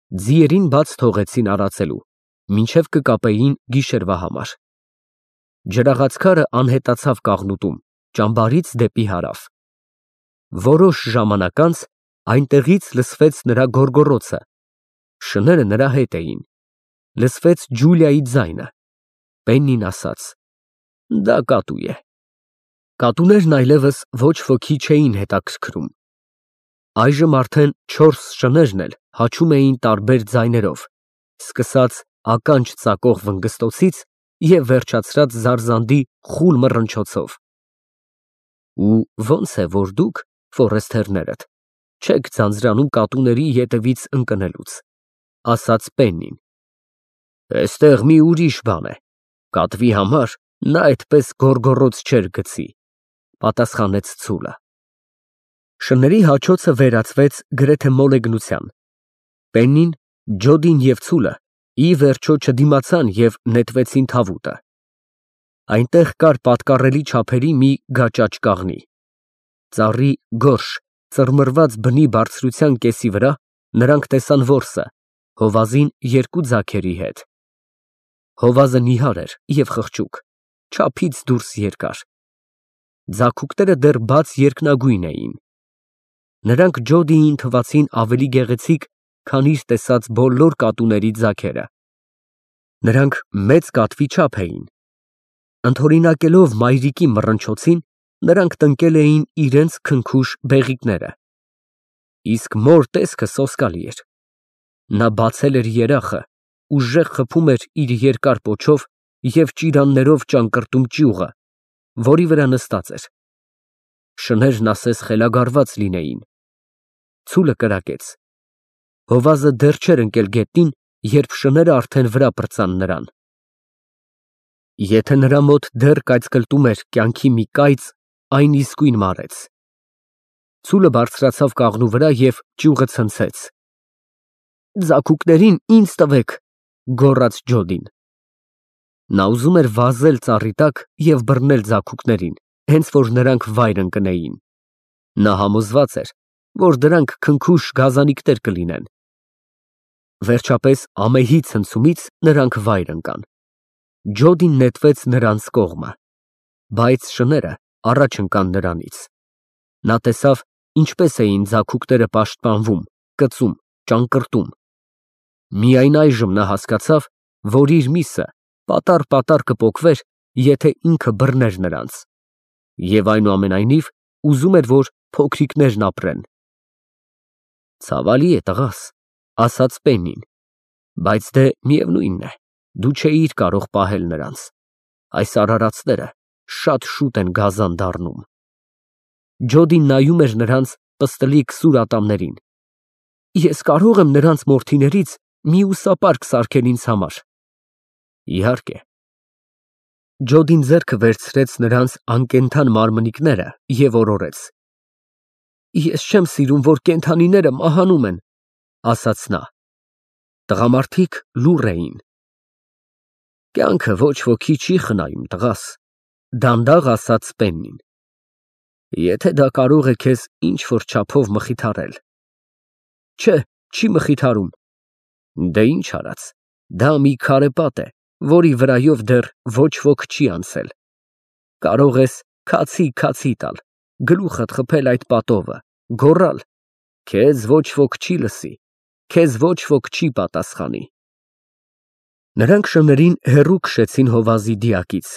Ձիերին բաց թողեցին արածելու, մինչև կկապեին գիշերվա համար։ Ջրաղացքարը անհետացավ կաղնուտում, ճամբարից դեպի հարավ։ Որոշ ժամանակ անց այնտեղից լսվեց նրա գոռգոռոցը, շները նրա հետ էին, լսվեց Ջուլիայի ձայնը։ Պեննին ասաց. «Դա կատու է»։ Կատուներն այլևս ոչ ոքի չէին հետաքրքրում։ Այժմ արդեն 4 շներն էլ հաչում էին տարբեր ձայներով, սկսած ականջ ծակող վնգստոցից և վերջացրած զարզանդի խուլ մռնչոցով։ Ու ո՞նց է, որ դուք, ֆորեստերներդ, չեք ձանձրանում կատուների ետևից ընկնելուց, ասաց Պեննին։ Էստեղ մի ուրիշ բան է, կատվի համար նա այդպես գոռգոռոց չէր գցի, պատասխանեց ծուլը։ Շների հաչոցը վերածվեց գրեթե մոլեգնության։ Պեննին, Ջոդին և ծուլը ի վերջո չդիմացան և նետվեցին թավուտը։ Այնտեղ կար պատկառելի չափերի մի գաճաճ կաղնի։ Ծառի գորշ, ծռմռված բնի բարձրության կեսի վրա նրանք տեսան որսը, հովազին 2 ձագերի հետ։ Հովազը նիհար էր և խղճուկ, չափից դուրս երկար։ Ձագուկները դեռ բաց երկնագույն էին։ Նրանք Ջոդիին թվացին ավելի գեղեցիկ, քան իր տեսած բոլոր կատուների ձագերը։ Նրանք մեծ կատվի չափ էին։ Ընդօրինակելով մայրիկի մռնչոցին, նրանք տնկել էին իրենց քնքուշ բեղիկները։ Իսկ մոր տեսքը սոսկալի էր։ Նա բացել էր երախը, ուժեղ խփում էր իր երկար պոչով և ճիրաններով ճանկռտում ճյուղը, որի վրա նստած էր։ Շներն ասես խելագարված լինեին։ Ծուլը կրակեց։ Հովազը դեռ չէր ընկել գետնին, երբ շները արդեն վրա պրծան նրան։ Եթե նրա մոտ դեռ կայծկլտում էր կյանքի մի կայծ, այն իսկույն մարեց։ Ծուլը բարձրացավ կաղնու վրա և ճյուղը ցնցեց։ Ձագուկներին ինձ տվեք, գոռաց Ջոդին։ Նա ուզում էր վազել ծառի տակ և բռնել ձագուկներին, հենց որ նրանք վայր ընկնեին։ Նա համոզված էր, որ դրանք քնքուշ գազանիկներ կլինեն։ Վերջապես ամեհի ցնցումից նրանք վայր ընկան։ Ջոդին նետվեց նրանց կողմը, բայց շները առաջ ընկան նրանից։ Նա տեսավ, ինչպես էին ձագուկները պաշտպանվում, կծում, ճանկռտում։ Միայն այժմ նա հասկացավ, որ իր միսը պատառ կպոկվեր, եթե ինքը բռներ նրանց։ Եվ այնուամենայնիվ ուզում էր, որ փոքրիկներն ապրեն։ Ցավալի է, տղաս, ասաց Պեննին, բայց դե միևնույն է, դու չէիր կարող պահել նրանց։ Այս արարածները շատ շուտ են գազան դառնում։ Ջոդին նայում էր նրանց պստլիկ սուր ատամներին։ Ես կարո՞ղ եմ նրանց մորթիներից մի ուսապարկ սարքել ինձ համար։ Իհարկե։ Ջոդին ձեռքը վերցրեց նրանց անկենդան մարմնիկները և օրորեց։ Ես չեմ սիրում, որ կենդանիները մահանում են, ասաց նա։ Տղամարդիկ լուռ էին։ Կյանքը ոչ ոքի չի խնայում, տղաս, դանդաղ ասաց Պեննին։ Եթե դա կարող է քեզ ինչ֊որ չափով մխիթարել։ Չէ, չի մխիթարում։ Դե ինչ արած, դա մի քարե պատ է, որի վրայով դեռ ոչ ոք չի անցել։ Կարող ես քացի տալ, գլուխդ խփել այդ պատովը, գոռալ. քեզ ոչ ոք չի լսի, քեզ ոչ ոք չի պատասխանի։ Նրանք շներին հեռու քշեցին հովազի դիակից։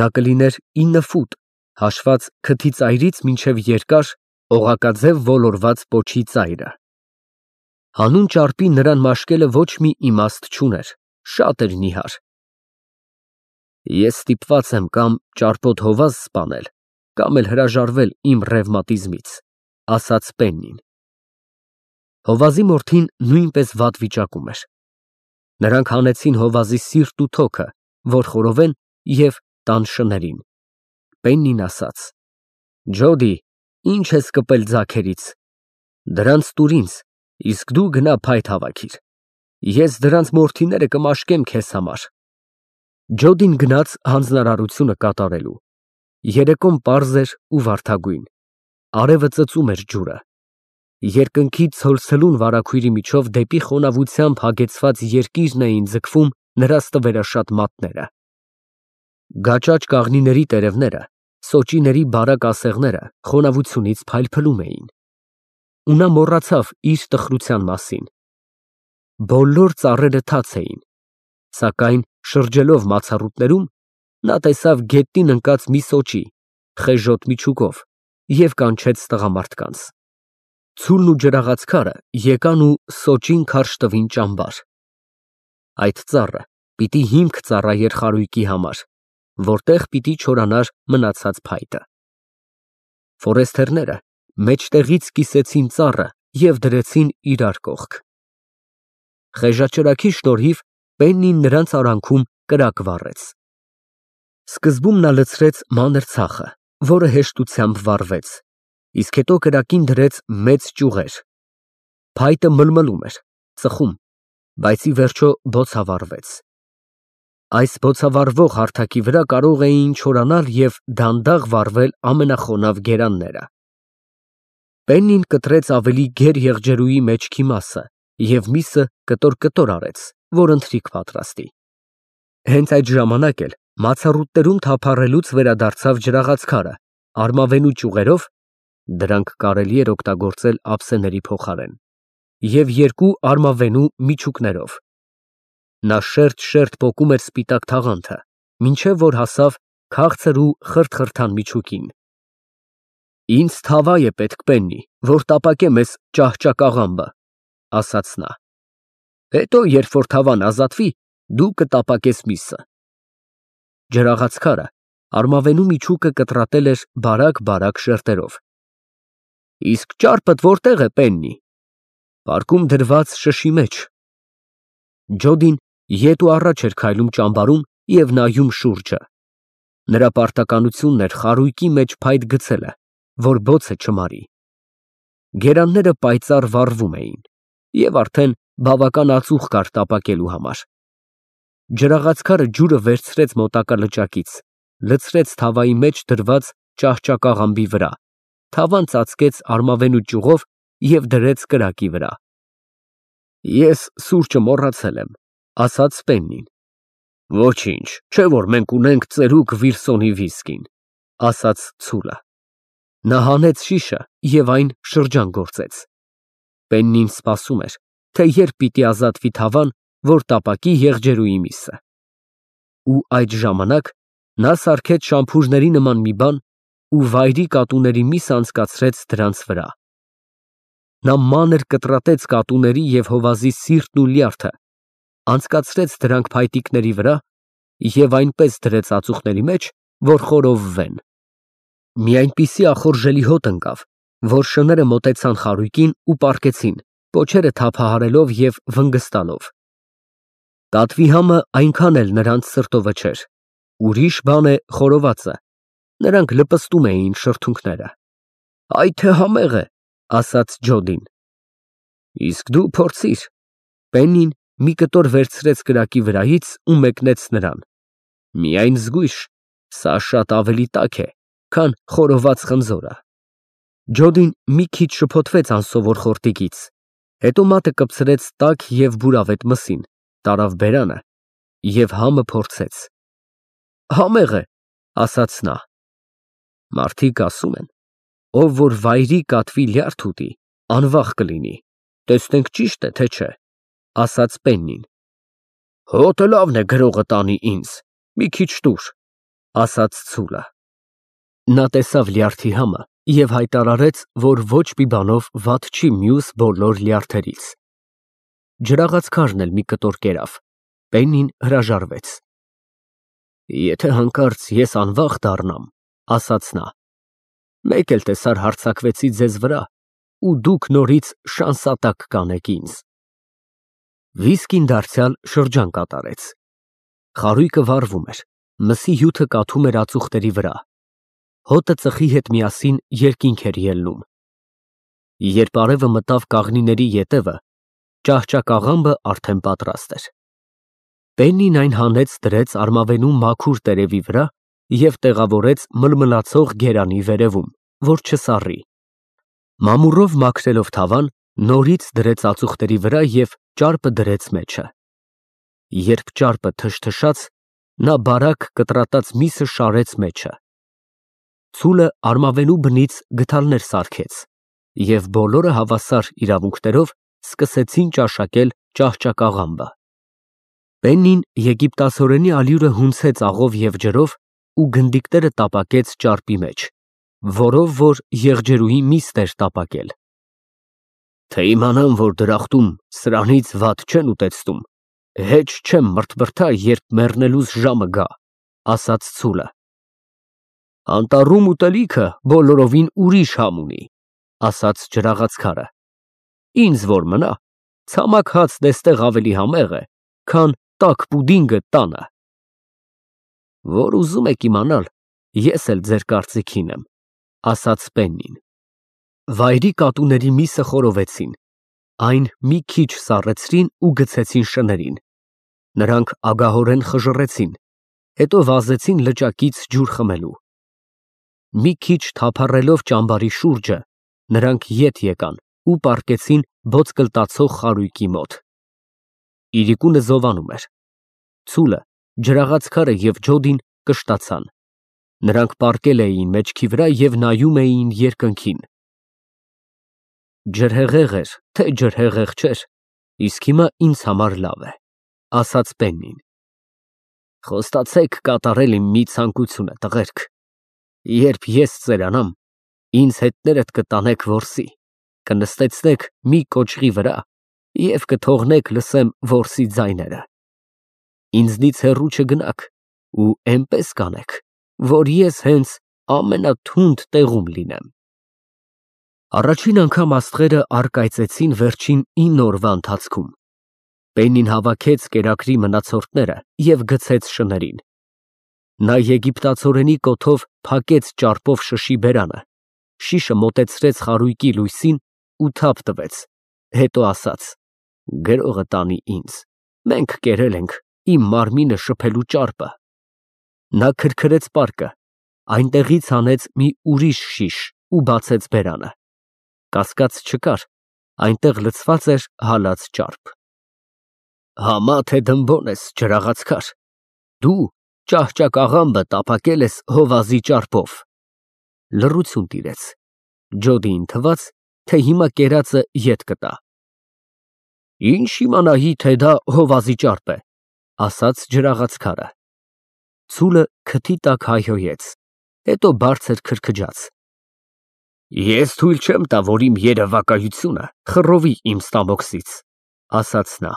Նա կլիներ 9 ֆուտ, հաշված քթի ծայրից մինչև երկար, օղակաձև ոլորված պոչի ծայրը։ Հանուն ճարպի նրան մաշկելը ոչ մի իմաստ չուներ, շատ էր նիհար։ Ես ստիպված եմ կամ ճարպոտ հովազ սպանել, կամ էլ հրաժարվել իմ ռևմատիզմից, ասաց Պեննին։ Հովազի մորթին նույնպես վատ վիճակում էր։ Նրանք հանեցին հովազի սիրտ ու թոքը, որ խորովեն, և տան շներին։ Պեննին ասաց. Ջոդի, ինչ ես կպել ձագերից։ Դրանց տուր ինձ, իսկ դու գնա փայտ հավաքիր։ Ես դրանց մորթիները կմաշկեմ քեզ համար։ Ջոդին գնաց հանձնարարությունը կատարելու։ Երեկոն պարզ էր ու վարդագույն։ Արևը ծծում էր ջուրը։ Երկնքի ցոլցլուն վարագույրի միջով դեպի խոնավությամբ հագեցված երկիրն էին ձգվում նրա ստվերաշատ մատները։ Գաճաճ կաղնիների տերևները, սոճիների բարակ ասեղները խոնավությունից փայլփլում էին։ Ու նա մոռացավ իր տխրության մասին։ Բոլոր ծառերը թաց էին, սակայն շրջելով մացառուտներում նա տեսավ գետնին ընկած մի սոճի, խեժոտ միջուկով և կանչեց տղամարդկանց։ Ցուլն ու ջրաղացքարը եկան ու սոճին քարշ տվին ճամբար։ Այդ ծառը պիտի հիմք ծառայեր խարույկի համար, որտեղ պիտի չորանար մնացած փայտը։ Ֆորեստերները մեջտեղից կիսեցին ծառը և դրեցին իրար կողք։ Խեժաճրագի շնորհիվ Պեննին նրանց արանքում կրակ վառեց։ Սկզբում նա լցրեց մանր ցախը, որը հեշտությամբ վառվեց, իսկ հետո կրակին դրեց մեծ ճյուղեր։ Փայտը մլմլում էր, ծխում, բայց ի վերջո բոցավառվեց։ Այս բոցավառվող հարթակի վրա կարող էին չորանալ և դանդաղ վառվել ամենախոնավ գերանները։ Պեննին կտրեց ավելի գեր եղջերուի մեջքի մասը և միսը կտոր արեց, որ ընթրիք պատրաստի։ Հենց այդ ժամանակ էլ մացառուտներում թափառելուց վերադարձավ ջրաղացքարը արմավենու ճյուղերով (դրանք կարելի էր օգտագործել ափսեների փոխարեն) և երկու արմավենու միջուկներով։ Նա շերտ պոկում էր սպիտակ թաղանթը, մինչև որ հասավ քաղցր ու խրթխրթան միջուկին։ «Ինձ թավա է պետք, Պեննի, որ տապակեմ էս ճահճակաղամբը», ֊ ասաց նա։ «Հետո, երբ որ թավան ազատվի, դու կտապակես միսը»։ Ջրաղացքարը արմավենու միջուկը կտրատել էր բարակ շերտերով։ «Իսկ ճարպդ որտե՞ղ է, Պեննի»։ «Պարկում դրված շշի մեջ»։ Ջոդին ետ ու առաջ էր քայլում ճամբարում և նայում շուրջը։ Նրա պարտականությունն էր խարույկի մեջ փայտ գցելը, որ բոցը չմարի։ Գերանները պայծառ վառվում էին, և արդեն բավական ածուխ կար տապակելու համար։ Ջրաղացքարը ջուրը վերցրեց մոտակա լճակից, լցրեց թավայի մեջ դրված ճահճակաղամբի վրա, թավան ծածկեց արմավենու ճյուղով և դրեց կրակի վրա։ «Ես սուրճը մոռացել եմ», ֊ ասաց Պեննին։ «Ոչինչ, չէ՞ որ մենք ունենք ծերուկ Վիլսոնի վիսկին», ֊ ասաց ցուլը։ Նա հանեց շիշը և այն շրջան գործեց։ Պեննին սպասում էր, թե երբ պիտի ազատվի թավան, որ տապակի եղջերուի միսը։ Ու այդ ժամանակ նա սարքեց շամփուրների նման մի բան ու վայրի կատուների միս անցկացրեց դրանց վրա։ Նա մանր կտրատեց կատուների և հովազի սիրտն ու լյարդը, անցկացրեց դրանք փայտիկների վրա և այնպես դրեց ածուխների մեջ, որ խորովվեն։ Մի այնպիսի ախորժելի հոտ ընկավ, որ շները մոտեցան խարույկին ու պառկեցին, պոչերը թափահարելով և վնգստալով։ Կատվի համը այնքան էլ նրանց սրտովը չէր, ուրիշ բան է խորովածը, նրանք լպստում էին շրթունքները։ «Այ թե համեղ է», ֊ ասաց Ջոդին։ «Իսկ դու փորձիր»։ Պեննին մի կտոր վերցրեց կրակի վրայից ու մեկնեց նրան։ «Միայն զգույշ, սա շատ ավելի տաք է, քան խորոված խնձորը»։ Ջոդին մի քիչ շփոթվեց անսովոր խորտիկից, հետո մատը կպցրեց տաք և բուրավետ մսին, տարավ բերանը և համը փորձեց։ «Համեղ է», ֊ ասաց նա։ Մարդիկ ասում են, ով որ վայրի կատվի լյարդ ուտի, անվախ կլինի, տեսնենք ճի՞շտ է, թե չէ, ֊ ասաց Պեննին։ «Հոտը լավն է գրողը տանի ինձ, մի քիչ տուր», ֊ ասաց ցուլը։ Նա տեսավ լյարդի համը և հայտարարեց, որ ոչ մի բանով վատ չի մյուս բոլոր լյարդերից։ Ջրաղացքարն էլ մի կտոր կերավ։ Պեննին հրաժարվեց։ «Եթե հանկարծ ես անվախ դառնամ», ֊ ասաց նա, ֊ «մեկ էլ տեսար հարձակվեցի ձեզ վրա, ու դուք նորից շանսատակ կանեք ինձ»։ Վիսկին դարձյալ շրջան կատարեց։ Խարույկը վառվում էր, մսի հյութը կաթում էր ածուխների վրա։ Հոտը ծխի հետ միասին երկինք էր ելնում։ Երբ արևը մտավ կաղնիների ետևը, ճահճակաղամբը արդեն պատրաստ էր։ Պեննին այն հանեց դրեց արմավենու մաքուր տերևի վրա և տեղավորեց մլմլացող գերանի վերևում, որ չսառի։ Մամուռով մաքրելով թավան, նորից դրեց ածուխների վրա և ճարպը դրեց մեջը։ Երբ ճարպը թշթշաց, նա բարակ կտրատած միսը շարեց մեջը։ Ցուլը արմավենու բնից գդալներ սարքեց, և բոլորը հավասար իրավունքներով սկսեցին ճաշակել ճահճակաղամբը։ Պեննին եգիպտացորենի ալյուրը հունցեց աղով և ջրով ու գնդիկները տապակեց ճարպի մեջ, որով որ եղջերուհի միստ էր տապակել։ Թե իմանամ, որ դրախտում սրանից վատ չեն ուտեցնում, հեչ չեմ մրթմրթա, երբ մեռնելուս ժամը գա, ասաց ցուլը։ Անտառում ուտելիքը բոլորովին ուրիշ համ ունի, ասաց ջրաղացքարը։ Ինձ որ մնա, ցամաք հացն էստեղ ավելի համեղ է, քան տաք պուդինգը տանը։ Որ ուզում եք իմանալ, ես էլ ձեր կարծիքին եմ, ասաց Պեննին։ Վայրի կատուների միսը խորովեցին, այն մի քիչ սառեցրին ու գցեցին շներին։ Նրանք ագահորեն խժռեցին, հետո վազեցին լճակից ջուր խմելու։ Մի քիչ թափառելով ճամբարի շուրջը, նրանք ետ եկան ու պառկեցին ոսկլտացող խարույկի մոտ։ Իրիկունը զովանում էր։ Ցուլը, ջրաղացքարը և ջոդին կշտացան։ Նրանք պառկել էին մեջքի վրա և նայում էին երկնքին։ Ջրհեղեղ էր, թե ջրհեղեղ չէր, իսկ հիմա ինձ համար լավ է, ասաց Պեննին։ Խոստացեք կատարել իմ մի ցանկությունը, տղերք։ Երբ ես ծերանամ, ինձ հետներդ կտանեք որսի, կնստեցնեք մի կոճղի վրա և կթողնեք լսեմ որսի ձայները։ Ինձնից հեռու չգնաք ու էնպես կանեք, որ ես հենց ամենաթունդ տեղում լինեմ։ Առաջին անգամ աստղերը առկայծեցին վերջին 9 օրվա ընթացքում։ Պեննին հավաքեց կերակրի մնացորդները և գցեց շներին։ Նա եգիպտացորենի կոթով փակեց ճարպով շշի բերանը, շիշը մոտեցրեց խարույկի լույսին ու թափ տվեց, հետո ասաց. Գրողը տանի ինձ, մենք կերել ենք իմ մարմինը շփելու ճարպը։ Նա քրքրեց պարկը, այնտեղից հանեց մի ուրիշ շիշ ու բացեց բերանը։ Կասկած չկար, այնտեղ լցված էր հալած ճարպ։ Համա թե դմբոն ես, ջրաղացքար, դու ճահճակաղամբը տապակել ես հովազի ճարպով։ Լռություն տիրեց։ Ջոդիին թվաց, թե հիմա կերածը ետ կտա։ Ինչ իմանայի, թե դա հովազի ճարպ է, ասաց ջրաղացքարը։ Ցուլը քթի տակ հայհոյեց, հետո բարձր քրքջաց։ Ես թույլ չեմ տա, որ իմ երևակայությունը խռովի իմ ստամոքսից, ասաց նա։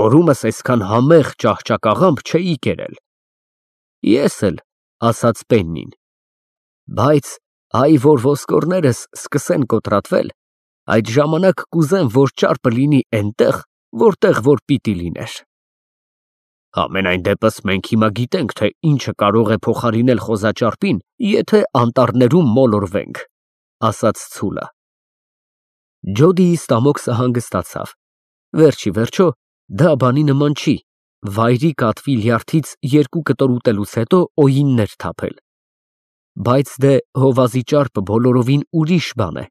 Օրումս այսքան համեղ ճահճակաղամբ չէի կերել։ Ես էլ, ասաց Պեննին։ Բայց այ որ ոսկորներս սկսեն կոտրատվել, այդ ժամանակ կուզեմ, որ ճարպը լինի էնտեղ, որտեղ որ պիտի լիներ։ Համենայն դեպս մենք հիմա գիտենք, թե ինչը կարող է փոխարինել խոզաճարպին, եթե անտառներում մոլորվենք, ասաց ցուլը։ Ջոդիի ստամոքսը հանգստացավ։ Վերջի վերջո, դա բանի նման չի, վայրի կատվի լյարդից 2 կտոր ուտելուց հետո օյիններ թափել։ Բայց դե հովազի ճարպը բոլորովին ուրիշ բան է։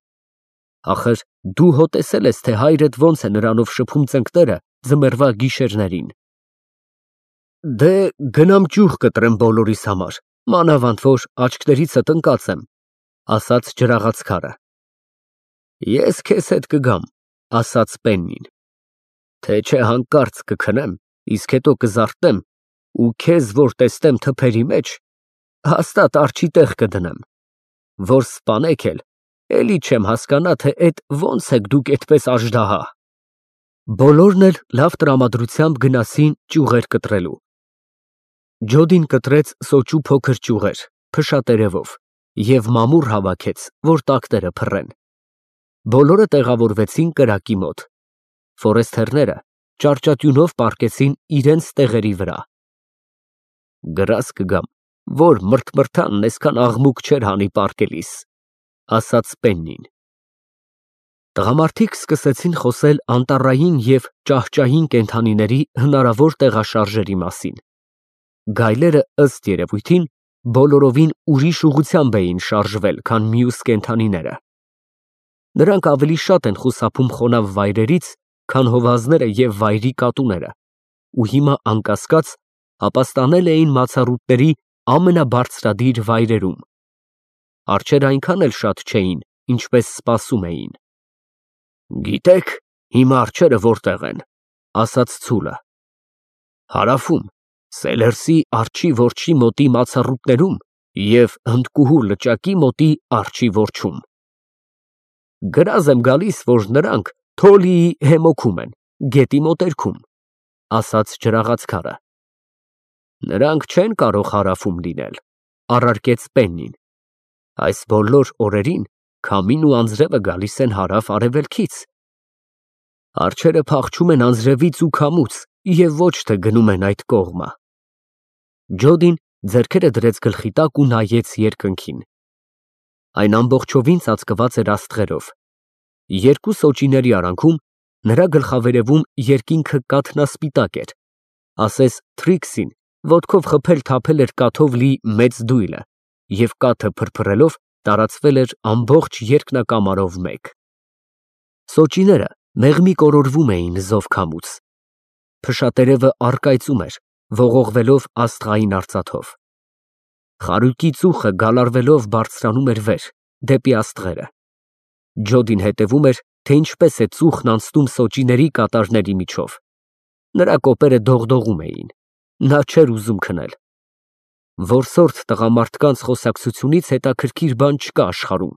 Ախր դու հո տեսել ես, թե հայրդ ոնց է նրանով շփում ծնկները ձմեռվա գիշերներին։ Դե գնամ ճյուղ կտրեմ բոլորիս համար, մանավանդ որ աչքներիցդ ընկած եմ, ասաց ջրաղացքարը։ Ես քեզ հետ կգամ, ասաց Պեննին։ Թե չէ հանկարծ կքնեմ, իսկ հետո կզարթնեմ ու քեզ որ տեսնեմ թփերի մեջ, հաստատ արջի տեղ կդնեմ, որ սպանեք էլ, էլի չեմ հասկանա, թե էդ ոնց եք դուք այդպես աժդահա։ Բոլորն էլ լավ տրամադրությամբ գնացին ճյուղեր կտրելու։ Ջոդին կտրեց սոճու փոքր ճյուղեր, փշատերևով, և մամուռ հավաքեց, որ տակները փռեն։ Բոլորը տեղավորվեցին կրակի մոտ։ Ֆորեստերները ճարճատյունով պառկեցին իրենց տեղերի վրա։ Գրազ կգամ, որ մրթմրթանն այսքան աղմուկ չէր հանի պառկելիս, ասաց Պեննին։ Տղամարդիկ սկսեցին խոսել անտառային և ճահճային կենդանիների հնարավոր տեղաշարժերի մասին։ Գայլերը ըստ երևույթին բոլորովին ուրիշ ուղղությամբ էին շարժվել, քան մյուս կենդանիները։ Նրանք ավելի շատ են խուսափում խոնավ վայրերից, քան հովազները և վայրի կատուները, ու հիմա անկասկած ապաստանել էին մացառուտների ամենաբարձրադիր վայրերում։ Արջերը այնքան էլ շատ չէին, ինչպես սպասում էին։ «Գիտեք, հիմա արջերը որտեղ են», ասաց ցուլը։ «Հարավում, Սելերսի արջի որջի մոտի մացառուտներում և Հնդկուհու լճակի մոտի արջի որջում»։ «Գրազ եմ գալիս, որ նրանք Թոլիի հեմոքում են, գետի մոտերքում», ասաց ջրաղացքարը։ «Նրանք չեն կարող հարավում լինել», առարկեց Պեննին։ «Այս բոլոր օրերին քամին ու անձրևը գալիս են հարավ֊արևելքից։ Արջերը փախչում են անձրևից ու քամուց և ոչ թե գնում են այդ կողմը»։ Ջոդին ձեռքերը դրեց գլխի տակ ու նայեց երկնքին։ Այն ամբողջովին ծածկված էր աստղերով։ Երկու սոճիների արանքում նրա գլխավերևում երկինքը կաթնասպիտակ էր, ասես Թրիքսին ոտքով խփել թափել էր կաթով լի մեծ դույլը, և կաթը փրփրելով տարածվել էր ամբողջ երկնակամարով մեկ։ Սոճիները մեղմի կորորվում էին զով-քամուց։ Փշատերևը առկայծում էր, ողողվելով աստղային արծաթով։ Խարույկի ծուխը գալարվելով բարձրանում էր վեր, դեպի աստղերը։ Ջոդին հետևում էր, թե ինչպես է ծուխն անցնում սոճիների կատարների միջով։ Նրա կոպերը դողդողում էին։ Նա չէր ուզում քնել։ Որսորդ տղամարդկանց խոսակցությունից հետաքրքիր բան չկա աշխարհում։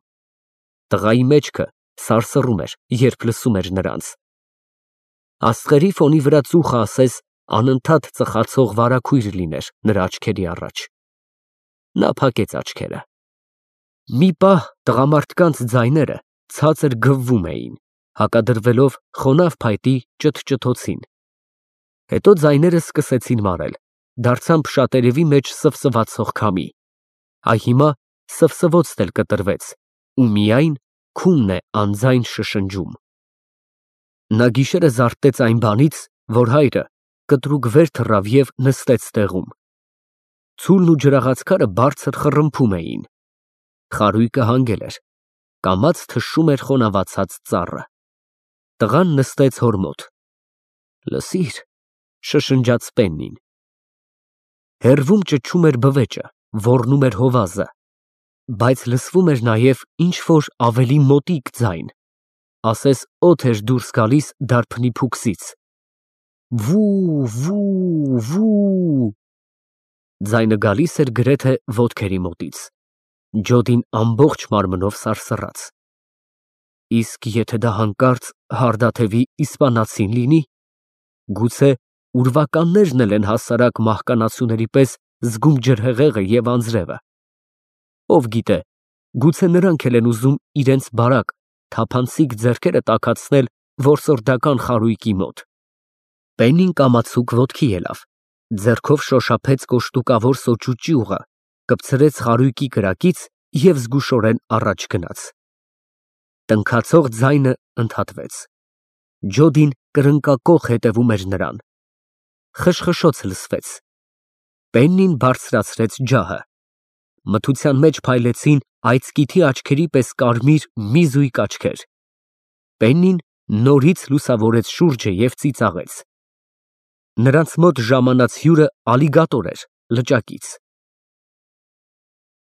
Տղայի մեջքը սարսռում էր, երբ լսում էր նրանց։ Աստղերի ֆոնի վրա ծուխը ասես անընդհատ ծխացող վարագույր լիներ նրա աչքերի առաջ։ Նա փակեց աչքերը։ Մի պահ տղամարդկանց ձայները ցածր գվվում էին, հակադրվելով խոնավ փայտի ճթճթոցին։ Հետո ձայները սկսեցին մարել, դարձան փշատերևի մեջ սվսվացող քամի։ Այ հիմա սվսվոցն էլ կտրվեց, ու միայն քունն է անձայն շշնջում։ Նա գիշերը զարթեց այն բանից, որ հայրը կտրուկ վեր թռավ և նստեց տեղում։ Ցուլն ու ջրաղացքարը բարձր խռմփում էին։ Խարույկը հանգել էր, կամաց թշում էր խոնավացած ծառը։ Տղան նստեց հոր մոտ։ «Լսիր», շշնջաց Պեննին։ Հեռվում ճչում էր բվեճը, ոռնում էր հովազը, բայց լսվում էր նաև ինչ֊որ ավելի մոտիկ ձայն, ասես օդ էր դուրս գալիս դարբնի փուքսից։ Վու, վու, վու… Ձայնը գալիս էր գրեթե ոտքերի մոտից։ Ջոդին ամբողջ մարմնով սարսռաց։ Իսկ եթե դա հանկարծ հարդաթևի իսպանացին լինի, գուցե ուրվականներն էլ են հասարակ մահկանացուների պես զգում ջրհեղեղը և անձրևը։ Ով գիտե, գուցե նրանք էլ են ուզում իրենց բարակ, թափանցիկ ձեռքերը տաքացնել որսորդական խարույկի մոտ։ Պեննին կամացուկ ոտքի ելավ, ձեռքով շոշափեց կոշտուկավոր սոճու ճյուղը, կպցրեց խարույկի կրակից և զգուշորեն առաջ գնաց։ Տնքացող ձայնը ընդհատվեց։ Ջոդին կրնկակոխ հետևում էր նրան։ Խշխշոց լսվեց։ Պեննին բարձրացրեց ջահը։ Մթության մեջ փայլեցին այծկիթի աչքերի պես կարմիր մի զույգ աչքեր։ Պեննին նորից լուսավորեց շուրջը և ծիծաղեց։ Նրանց մոտ ժամանած հյուրը ալիգատոր էր, լճակից։